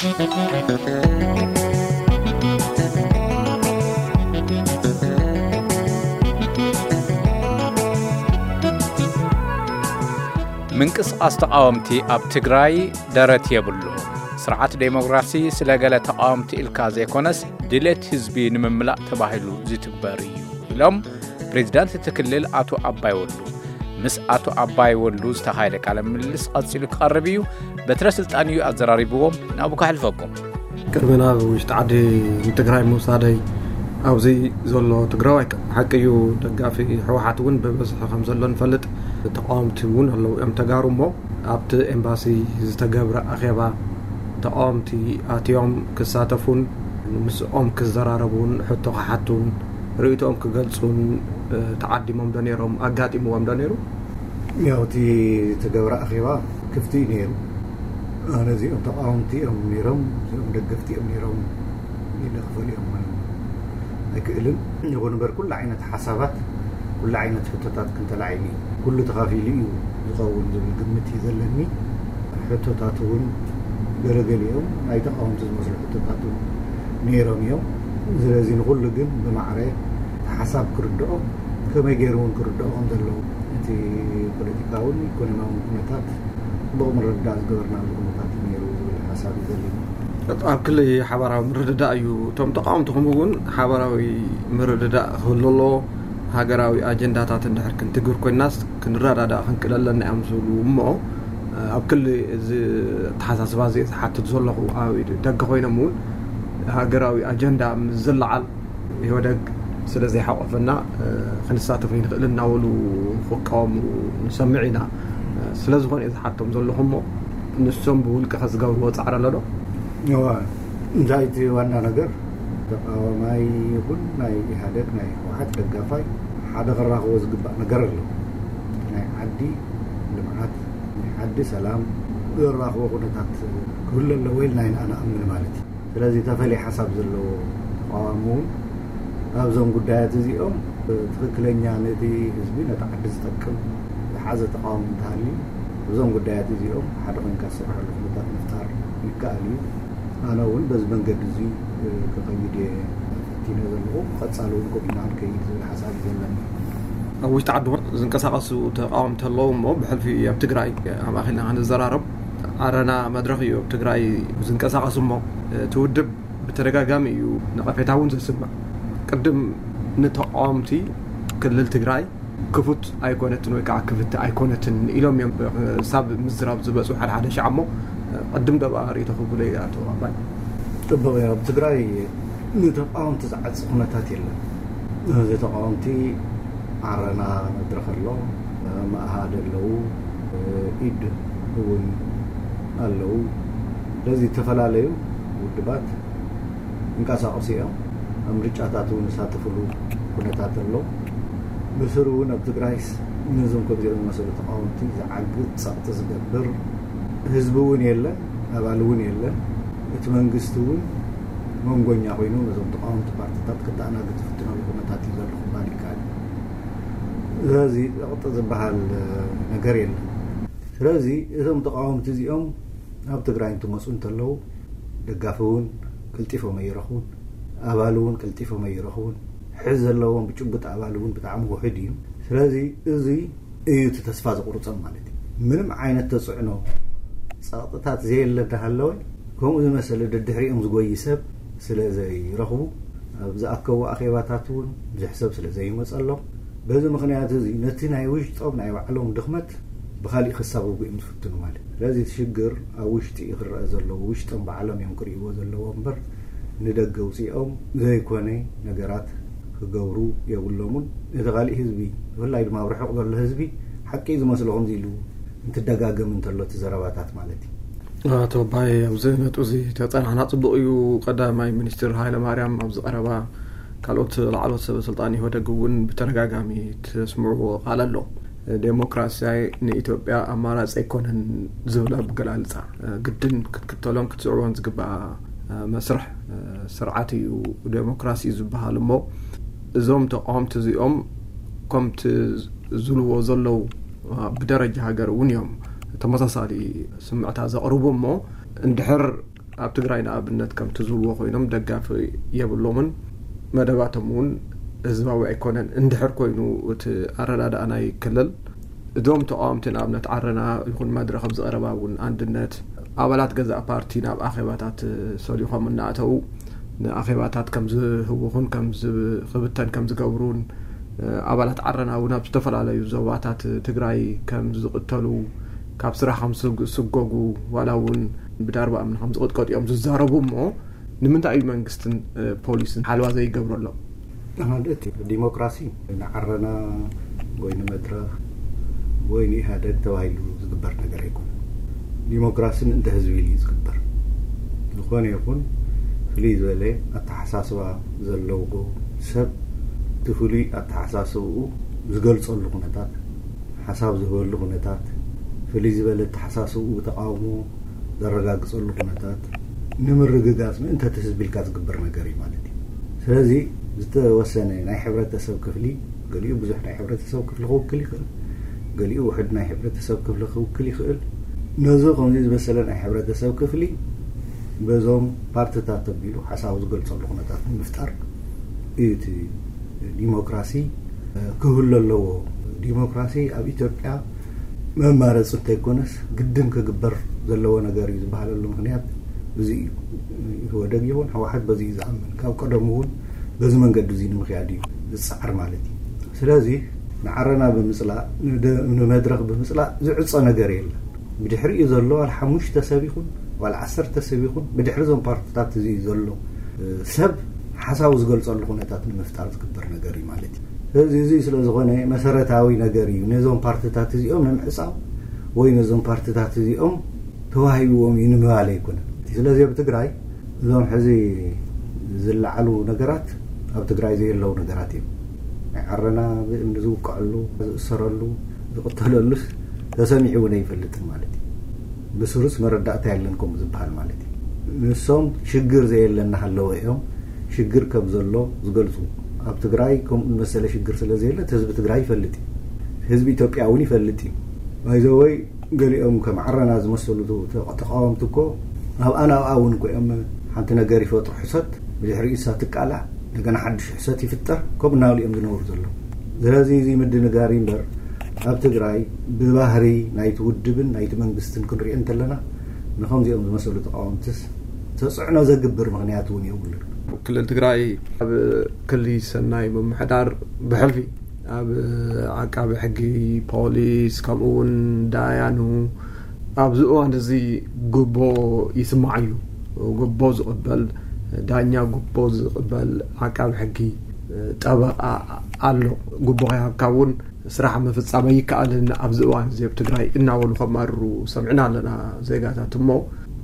ምንቅስቓስ ተቓወምቲ ኣብ ትግራይ ደረት የብሉ። ስርዓት ዴሞክራሲ ስለ ገለ ተቓወምቲ ኢልካ ዘይኮነስ ድሌት ህዝቢ ንምምላእ ተባሂሉ ዝትግበር እዩ ኢሎም ፕሬዚዳንት እቲ ክልል ኣቶ ኣባይ ወሉ። ምስ ኣቶ ኣባይ ወሉ ዝተኻየደ ቃለ ምልልስ ቀጺሉ ክቐርብ እዩ። በትረ ስልጣን እዩ ኣዘራሪብዎም፣ ናብኡ ከሕልፈኩም። ቅድሚ ናብ ውሽጢ ዓዲ ንትግራይ ምውሳደይ ኣብዚ ዘሎ ትግራዋይ ሓቂ እዩ፣ ደጋፊ ህወሓት እውን ብብዝሒ ከም ዘሎ ንፈልጥ፣ ተቃወምቲ እውን ኣለዉ እዮም ተጋሩ እሞ ኣብቲ ኤምባሲ ዝተገብረ ኣኼባ ተቃወምቲ ኣትዮም ክሳተፉን ምስኦም ክዘራረቡን ሕቶ ክሓቱን ርእይቶኦም ክገልጹን ተዓዲሞም ዶ ነይሮም? ኣጋጢምዎም ዶ ነይሩ? ያው እቲ ዝተገብረ ኣኼባ ክፍቲ እዩ ነይሩ። ኣነ እዚኦም ተቃወምቲ እዮም ነይሮም፣ እዚኦም ደገፍቲ እዮም ነይሮም ኢለ ክፈልዮም ኣይክእልን። ይኹን እምበር ኩሉ ዓይነት ሓሳባት፣ ኩሉ ዓይነት ሕቶታት ክንተላዒሉ እዩ። ኩሉ ተኻፊሉ እዩ ዝኸውን ዝብል ግምት እዩ ዘለኒ። ሕቶታት እውን ገለገሊኦም ናይ ተቃወምቲ ዝመስሉ ሕቶታት እውን ነይሮም እዮም። ስለዚ ንኹሉ ግን ብማዕረ እቲ ሓሳብ ክርድኦ፣ ከመይ ገይሩ እውን ክርድኦ ከም ዘለዎ፣ እቲ ፖለቲካውን ኢኮኖሚያውን ኩነታት ጽቡቕ ምርድዳእ ዝገበርናሉ ኩነታት እዩ ነይሩ ዝብል ሓሳብ እዩ ዘለኒ። ኣብ ክሊ ሓባራዊ ምርድዳእ እዩ። እቶም ተቃወምቲ ከምኡ እውን ሓባራዊ ምርድዳእ ክህሉ ኣለዎ። ሃገራዊ ኣጀንዳታት እንድሕር ክንትግብር ኮይንናስ ክንረዳዳእ ክንክእል ኣለና እዮም ዝብሉ እሞ፣ ኣብ ክሊ እዚ ኣተሓሳስባ እዚ ዝሓትት ዘለኹ ኣብ ደገ ኮይኖም እውን ሃገራዊ ኣጀንዳ ምስ ዝለዓል ኢህወደግ ስለ ዘይሓቆፈና ክንሳተፍ ኣይንኽእልን እናበሉ ክቃወሙ ንሰምዕ ኢና። ስለ ዝኾነ እየ ዝሓቶም ዘለኹ እሞ ንሶም ብውልቂ ከዝገብርዎ ጻዕሪ ኣሎ ዶ? እዋ፣ እንታይ እቲ ዋና ነገር ተቃዋማይ ይኹን ናይ ኢህወደግ ናይ ህወሓት ደጋፋይ ሓደ ክራኽቦ ዝግባእ ነገር ኣሎ። ናይ ዓዲ ልምዓት፣ ናይ ዓዲ ሰላም ዘራኽቦ ኩነታት ክህሉ ኣለዎ ኢልና ኢና ንኣምን ማለት እዩ። ስለዚ ተፈልየ ሓሳብ ዘለዎ ተቃዋሚ እውን ኣብዞም ጉዳያት እዚኦም ትኽክለኛ ነቲ ህዝቢ ነቲ ዓዲ ዝጠቅም ዝሓዘ ተቃዋሚ እንተሃልዩ እዞም ጉዳያት እዚኦም ሓደ ኮይንካ ዝስርሐሉ ኩነታት ምፍጣር ይከኣል እዩ። ኣነ እውን በዚ መንገዲ እዚ ክኸይድ እየ ፈቲነ ዘለኹ። ቀጻሊ እውን ከምኡ ኢና ንከይድ ዝብል ሓሳብ እዩ ዘለኒ። ኣብ ውሽጢ ዓዲ እውን ዝንቀሳቐሱ ተቃወምቲ ኣለዉ እሞ ብሕልፊ ኣብ ትግራይ ኣማኺልና ክንዘራረብ ዓረና መድረኽ እዩ ኣብ ትግራይ ዝንቀሳቐስ እሞ እቲ ውድብ ብተደጋጋሚ እዩ ነቐፌታ እውን ዘስምዕ። ቅድም ንተቃወምቲ ክልል ትግራይ ክፉት ኣይኮነትን ወይ ከዓ ክፍቲ ኣይኮነትን ኢሎም እዮም ክሳብ ምዝራብ ዝበፁ ሓደ ሓደ ሻዕ እሞ ቅድም ደባ ርእይቶ ክብለ እዩ ኣቶ ኣባይ። ጽቡቕ እዩ። ኣብ ትግራይ ንተቃወምቲ ዝዓጽ ኩነታት የለን። እዚ ተቃወምቲ ዓረና መድረኽ ኣሎ፣ መኣሃድ ኣለዉ፣ ኢድ እውን ኣለዉ። ስለዚ ዝተፈላለዩ ውድባት ይንቀሳቐሱ እዮም። ኣብ ምርጫታት እውን ዝሳተፍሉ ኩነታት ኣሎ። ብስሩ እውን ኣብ ትግራይስ ነዞም ከምዚኦም ዝመሰሉ ተቃወምቲ ዝዓግት ጸቕጢ ዝገብር ህዝቢ እውን የለን፣ ኣባል እውን የለን። እቲ መንግስቲ እውን መንጎኛ ኮይኑ ነዞም ተቃወምቲ ፓርቲታት ክተኣናግድ ዝፍትነሉ ኩነታት እዩ ዘሎ ክበሃል ይከኣል። ስለዚ ጸቕጢ ዝበሃል ነገር የለን። ስለዚ እዞም ተቃወምቲ እዚኦም ኣብ ትግራይ እንትመፁ እንተለዉ ደጋፊ እውን ቀልጢፎም ኣይረኽቡን፣ ኣባል እውን ቀልጢፎም ኣይረኽቡን። ሕዚ ዘለዎም ብጭቡጥ ኣባል እውን ብጣዕሚ ውሑድ እዩ። ስለዚ እዚ እዩ እቲ ተስፋ ዘቑርፆም ማለት እዩ። ምንም ዓይነት ተፅዕኖ ጸቕጥታት ዘየለ እንዳሃለወ ከምኡ ዝመሰለ ደድሕሪኦም ዝጎይ ሰብ ስለ ዘይረኽቡ ኣብ ዝኣከቡ ኣኼባታት እውን ብዙሕ ሰብ ስለ ዘይመፀሎም በዚ ምኽንያት እዚ ነቲ ናይ ውሽጦም ናይ ባዕሎም ድኽመት ብኻሊእ ክሳጎጉ እዮም ዝፍትኑ ማለት እዩ። ስለዚ እቲ ሽግር ኣብ ውሽጢ እዩ ክረአ ዘለዎ፣ ውሽጦም ባዕሎም እዮም ክርእይዎ ዘለዎ እምበር ንደገ ውፅኦም ዘይኮነ ነገራት ክገብሩ የብሎምን። እቲ ካሊእ ህዝቢ ብፍላይ ድማ ኣብ ርሑቕ ዘሎ ህዝቢ ሓቂ እዩ ዝመስሎ ከምዚ ኢሉ እንትደጋገም እንተሎ እቲ ዘረባታት ማለት እዩ። ኣቶ ኣባይ፣ ኣብዚ ነጥቢ እዚ ተጸናሕና ጽቡቕ እዩ። ቀዳማይ ሚኒስትር ሃይለ ማርያም ኣብዚ ቀረባ ካልኦት ላዕለዎት ሰበ ስልጣን ኢህወደግ እውን ብተደጋጋሚ ተስምዕዎ ቃል ኣሎ። ዴሞክራሲያይ ንኢትዮጵያ ኣማራጺ ኣይኮነን ዝብል ኣገላልጻ ግድን ክትክተሎን ክትስዕቦን ዝግባእ መስርሕ ስርዓት እዩ ዴሞክራሲ ዝበሃል እሞ እዞም ተቃወምቲ እዚኦም ከምቲ ዝብልዎ ዘለዉ ብደረጃ ሃገር እውን እዮም ተመሳሳሊ ስምዕታ ዘቕርቡ እሞ እንድሕር ኣብ ትግራይ ንኣብነት ከምቲ ዝብልዎ ኮይኖም ደጋፊ የብሎምን። መደባቶም እውን ህዝባዊ ኣይኮነን። እንድሕር ኮይኑ እቲ ኣረዳድኣ ናይ ክልል እዞም ተቃወምቲ ንኣብነት ዓረና ይኹን መድረኽ ኣብ ዝቐረባ እውን ኣንድነት ኣባላት ገዛእ ፓርቲ ናብ ኣኼባታት ሰሊኾም እናእተዉ ንኣኼባታት ከም ዝህውኹን ከም ዝኽብተን ከም ዝገብሩን ኣባላት ዓረና እውን ኣብ ዝተፈላለዩ ዞባታት ትግራይ ከም ዝቕተሉ ካብ ስራሕ ከም ዝስጎጉ ዋላ እውን ብዳርባ እምኒ ከም ዝቕጥቀጡ እዮም ዝዛረቡ እሞ ንምንታይ እዩ መንግስትን ፖሊስን ሓለዋ ዘይገብረሎም? ማለት ዲሞክራሲ ንዓረና ወይ ንመድረኽ ወይ ንኢህደግ ተባሂሉ ዝግበር ነገር ኣይኮነ። ዲሞክራሲ ምእንተ ህዝቢ ኢሉ እዩ ዝግበር። ዝኾነ ይኹን ፍልይ ዝበለ ኣተሓሳስባ ዘለዎ ሰብ እቲ ፍሉይ ኣተሓሳስብኡ ዝገልፀሉ ኩነታት፣ ሓሳብ ዝህበሉ ኩነታት፣ ፍልይ ዝበለ ኣተሓሳስብኡ ተቃውሞ ዘረጋግፀሉ ኩነታት ንምርግጋፅ ምእንተ እቲ ህዝቢ ኢልካ ዝግበር ነገር እዩ ማለት እዩ። ስለዚ ዝተወሰነ ናይ ሕብረተሰብ ክፍሊ፣ ገሊኡ ብዙሕ ናይ ሕብረተሰብ ክፍሊ ክውክል ይኽእል፣ ገሊኡ ውሕድ ናይ ሕብረተሰብ ክፍሊ ክውክል ይኽእል። ነዚ ከምዚ ዝመሰለ ናይ ሕብረተሰብ ክፍሊ በዞም ፓርትታት ተቢሉ ሓሳቡ ዝገልፀሉ ኩነታት ንምፍጣር እዩ እቲ ዲሞክራሲ ክህሉ ኣለዎ። ዲሞክራሲ ኣብ ኢትዮጵያ መማረፂ እንተይኮነስ ግድን ክግበር ዘለዎ ነገር እዩ ዝበሃለሉ ምክንያት እዚ እዩ። ኢህወደግ ይኹን ህወሓት በዚ እዩ ዝኣምን። ካብ ቀደሙ እውን በዚ መንገዲ እዚ ንምክያድ እዩ ዝፀዓር ማለት እዩ። ስለዚ ንዓረና ብምፅላእ፣ ንደ- ንመድረኽ ብምፅላእ ዝዕፀ ነገር የለን። ብድሕሪኡ ዘሎ ዋላ ሓሙሽተ ሰብ ይኹን ዋላ ዓሰርተ ሰብ ይኹን ብድሕሪ እዞም ፓርትታት እዚ ዘሎ ሰብ ሓሳቡ ዝገልፀሉ ኩነታት ንምፍጣር ዝግበር ነገር እዩ ማለት እዩ። ስለዚ እዚ ስለ ዝኾነ መሰረታዊ ነገር እዩ ነዞም ፓርትታት እዚኦም ንምዕፃው ወይ ነዞም ፓርትታት እዚኦም ተዋሂብዎም እዩ ንምባል ኣይኮነን። ስለዚ ኣብ ትግራይ እዞም ሕዚ ዝለዓሉ ነገራት ኣብ ትግራይ ዘየለዉ ነገራት እዮም። ናይ ዓረና ብእምኒ ዝውቀዐሉ፣ ዝእሰረሉ፣ ዝቕተለሉስ ተሰሚዑ እውን ኣይፈልጥን ማለት እዩ። ብስሩስ መረዳእታ የለን ከምኡ ዝበሃል ማለት እዩ። ንሶም ሽግር ዘየለ እናሃለወ እዮም ሽግር ከም ዘሎ ዝገልፁ። ኣብ ትግራይ ከምኡ ዝመሰለ ሽግር ስለ ዘየለ እቲ ህዝቢ ትግራይ ይፈልጥ እዩ። ህዝቢ ኢትዮጵያ እውን ይፈልጥ እዩ። ባይዘወይ ገሊኦም ከም ዓረና ዝመሰሉ ተቃወምቲ እኮ ኣብኣን ኣብኣ እውን እኮ እዮም ሓንቲ ነገር ይፈጥሩ ሕሰት ብድሕሪኡ እሳ ትቃላዕ እንደገና ሓድሽ ሕሰት ይፍጠር ከምኡ እናበሉ እዮም ዝነብሩ ዘለዉ። ስለዚ እዚ ምድንጋር እዩ እምበር ኣብ ትግራይ ብባህሪ ናይቲ ውድብን ናይቲ መንግስትን ክንሪኦ እንተለና ንኸምዚኦም ዝመሰሉ ተቃወምትስ ተፅዕኖ ዘግብር ምክንያት እውን የብሉን። ክልል ትግራይ ኣብ ክሊ ሰናይ ምምሕዳር ብሕልፊ ኣብ ዓቃቢ ሕጊ፣ ፖሊስ ከምኡ እውን ዳያኑ ኣብዚ እዋን እዚ ጉቦ ይስማዕ እዩ። ጉቦ ዝቕበል ዳኛ፣ ጉቦ ዝቕበል ዓቃቢ ሕጊ፣ ጠበቓ ኣሎ። ጉቦ ከይሃብካ እውን ስራሕ ምፍፃም ኣይከኣልን ኣብዚ እዋን እዚ ኣብ ትግራይ እናበሉ ከማርሩ ሰሚዕና ኣለና ዜጋታት። እሞ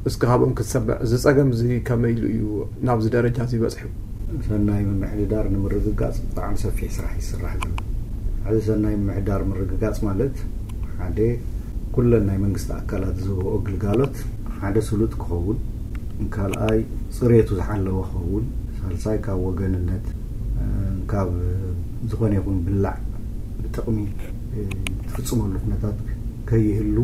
እስኪ ካብኦም ክትሰምዕ እዚ ፀገም እዚ ከመይ ኢሉ እዩ ናብዚ ደረጃ እዚ በፂሑ? ሰናይ ምምሕድዳር ንምርግጋፅ ብጣዕሚ ሰፊሕ ስራሕ ይስራሕ ዘሎ። ሕዚ ሰናይ ምምሕዳር ምርግጋፅ ማለት ሓደ ኩለን ናይ መንግስቲ ኣካላት ዝህብኦ ግልጋሎት ሓደ ስሉጥ ክኸውን፣ ካልኣይ ፅሬቱ ዝሓለወ ክኸውን፣ ሳልሳይ ካብ ወገንነት ካብ ዝኾነ ይኹን ብላዕ ጥቕሚ ትፍፅመሉ ኩነታት ከይህሉ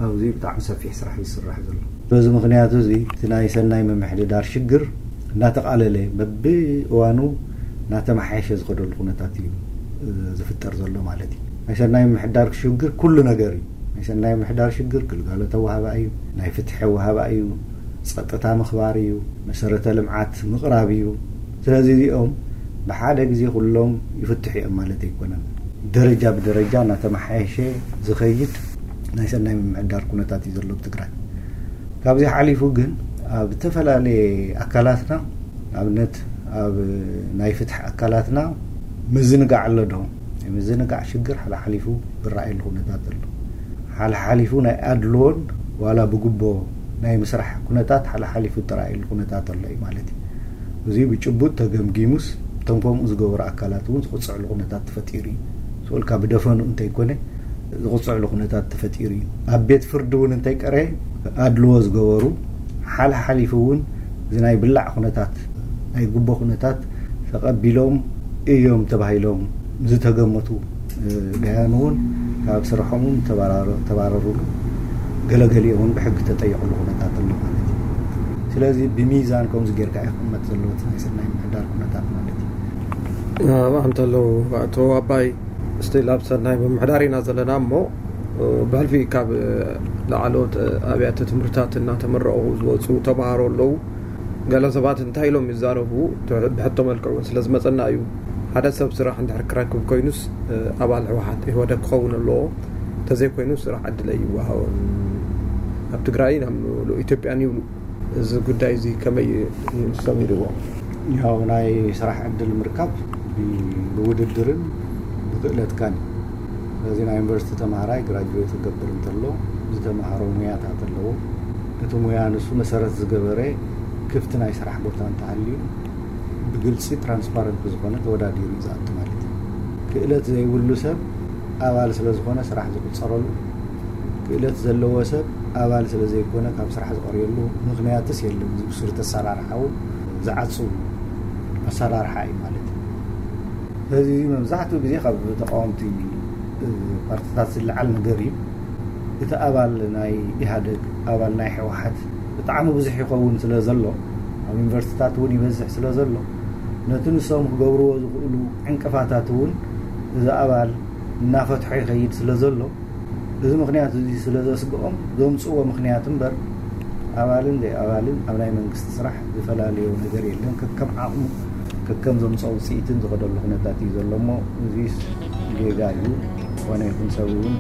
ኣብዚ ብጣዕሚ ሰፊሕ ስራሕ ይስራሕ ዘሎ። በዚ ምክንያት እዚ እቲ ናይ ሰናይ ምምሕድዳር ሽግር እናተቃለለ በብእዋኑ እናተመሓየሸ ዝኸደሉ ኩነታት እዩ ዝፍጠር ዘሎ ማለት እዩ። ናይ ሰናይ ምምሕዳር ሽግር ኩሉ ነገር እዩ። ናይ ሰናይ ምምሕዳር ሽግር ግልጋሎት ኣወሃባ እዩ፣ ናይ ፍትሒ ኣወሃባ እዩ፣ ፀጥታ ምኽባር እዩ፣ መሰረተ ልምዓት ምቕራብ እዩ። ስለዚ እዚኦም ብሓደ ግዜ ኩሎም ይፍትሑ እዮም ማለት ኣይኮነን። ደረጃ ብደረጃ እናተመሓየሸ ዝኸይድ ናይ ሰናይ ምምሕዳር ኩነታት እዩ ዘሎ ኣብ ትግራይ። ካብዚ ሓሊፉ ግን ኣብ ዝተፈላለየ ኣካላትና ንኣብነት ኣብ ናይ ፍትሒ ኣካላትና ምዝንጋዕ ኣሎ ዶ? ናይ ምዝንጋዕ ሽግር ሓላሓሊፉ ዝረኣየሉ ኩነታት ኣሎ። ሓላሓሊፉ ናይ ኣድልዎን ዋላ ብጉቦ ናይ ምስራሕ ኩነታት ሓላሓሊፉ ዝረኣየሉ ኩነታት ኣሎ እዩ ማለት እዩ። እዚ ብጭቡጥ ተገምጊሙስ እቶም ከምኡ ዝገበሩ ኣካላት እውን ዝቕፅዕሉ ኩነታት ተፈጢሩ እዩ። ስኡልካ ብደፈኑ እንተይኮነ ዝቕፅዕሉ ኩነታት ተፈጢሩ እዩ። ኣብ ቤት ፍርዲ እውን እንተይቀረየ ኣድልዎ ዝገበሩ ሓላሓሊፉ እውን እዚ ናይ ብላዕ ኩነታት ናይ ጉቦ ኩነታት ተቐቢሎም እዮም ተባሂሎም ዝተገመቱ ዳያኑ እውን ካብ ስርሖም እውን ተባረሩሉ፣ ገለገሊኦም እውን ብሕጊ ተጠየቑሉ ኩነታት ኣሎ ማለት እዩ። ስለዚ ብሚዛን ከምዚ ጌርካ እዩ ክቕመጥ ዘለዎ እቲ ናይ ሰናይ ምምሕዳር ኩነታት ማለት እዩ። ኣንተለው ኣቶ ኣባይ ስቲል ኣብ ሰናይ ምምሕዳር ኢና ዘለና እሞ ብሕልፊ ካብ ላዕለዎት ኣብያተ ትምህርትታት እናተመረቑ ዝወፁ ተምሃሮ ኣለዉ። ገለ ሰባት እንታይ ኢሎም ይዛረቡ ብሕቶ መልክዕ እውን ስለ ዝመፀና እዩ። ሓደ ሰብ ስራሕ እንድሕር ክረክብ ኮይኑስ ኣባል ህወሓት ኢህወደግ ክኸውን ኣለዎ። እንተዘይኮይኑ ስራሕ ዕድል ኣይወሃቦን ኣብ ትግራይን ኣብ ምሉእ ኢትዮጵያን ይብሉ። እዚ ጉዳይ እዚ ከመይ ንሶም ይርእዎ? ያው ናይ ስራሕ ዕድል ምርካብ ብውድድርን ብክእለትካን። ስለዚ ናይ ዩኒቨርሲቲ ተምሃራይ ግራጁዌት ክገብር እንተሎ ዝተምሃሮ ሙያታት ኣለዎ። እቲ ሙያ ንሱ መሰረት ዝገበረ ክፍቲ ናይ ስራሕ ቦታ እንተሃልዩ ብግልፂ ትራንስፓረንት ብዝኾነ ተወዳዲሩ እዩ ዝኣቱ ማለት እዩ። ክእለት ዘይብሉ ሰብ ኣባል ስለ ዝኾነ ስራሕ ዝቁፀረሉ፣ ክእለት ዘለዎ ሰብ ኣባል ስለ ዘይኮነ ካብ ስራሕ ዝቐርየሉ ምኽንያትስ የለን። እዚ ብስሩ ተሰራርሓ እውን ዝዓፅው ኣሰራርሓ እዩ ማለት እዩ። ስለዚ መብዛሕትኡ ግዜ ካብ ተቃወምቲ ፓርቲታት ዝለዓል ነገር እዩ። እቲ ኣባል ናይ ኢህኣደግ ኣባል ናይ ህወሓት ብጣዕሚ ብዙሕ ይኸውን ስለ ዘሎ ኣብ ዩኒቨርሲቲታት እውን ይበዝሕ ስለ ዘሎ ነቲ ንሶም ክገብርዎ ዝኽእሉ ዕንቅፋታት እውን እዚ ኣባል እናፈትሖ ይኸይድ ስለ ዘሎ እዚ ምኽንያት እዚ ስለ ዘስግኦም ዘምፅዎ ምኽንያት እምበር ኣባልን ዘይኣባልን ኣብ ናይ መንግስቲ ስራሕ ዝፈላለዮ ነገር የለን። ከከም ዓቕሙ ከከም ዘምፅኦ ውፅኢትን ዝኸደሉ ኩነታት እዩ ዘሎ እሞ እዚ ጌጋ እዩ። ዝኾነ ይኹን ሰብ እውን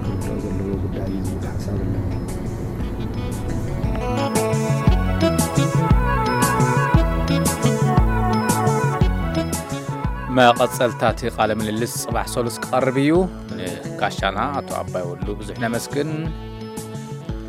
ክርድኦ ዘለዎ ጉዳይ እዩ ዝብል ሓሳብ ኣለኒ። መቐጸልታ እቲ ቃለ ምልልስ ጽባሕ ሰሉስ ክቐርብ እዩ። ንጋሻና ኣቶ ኣባይ ወሉ ብዙሕ ነመስግን።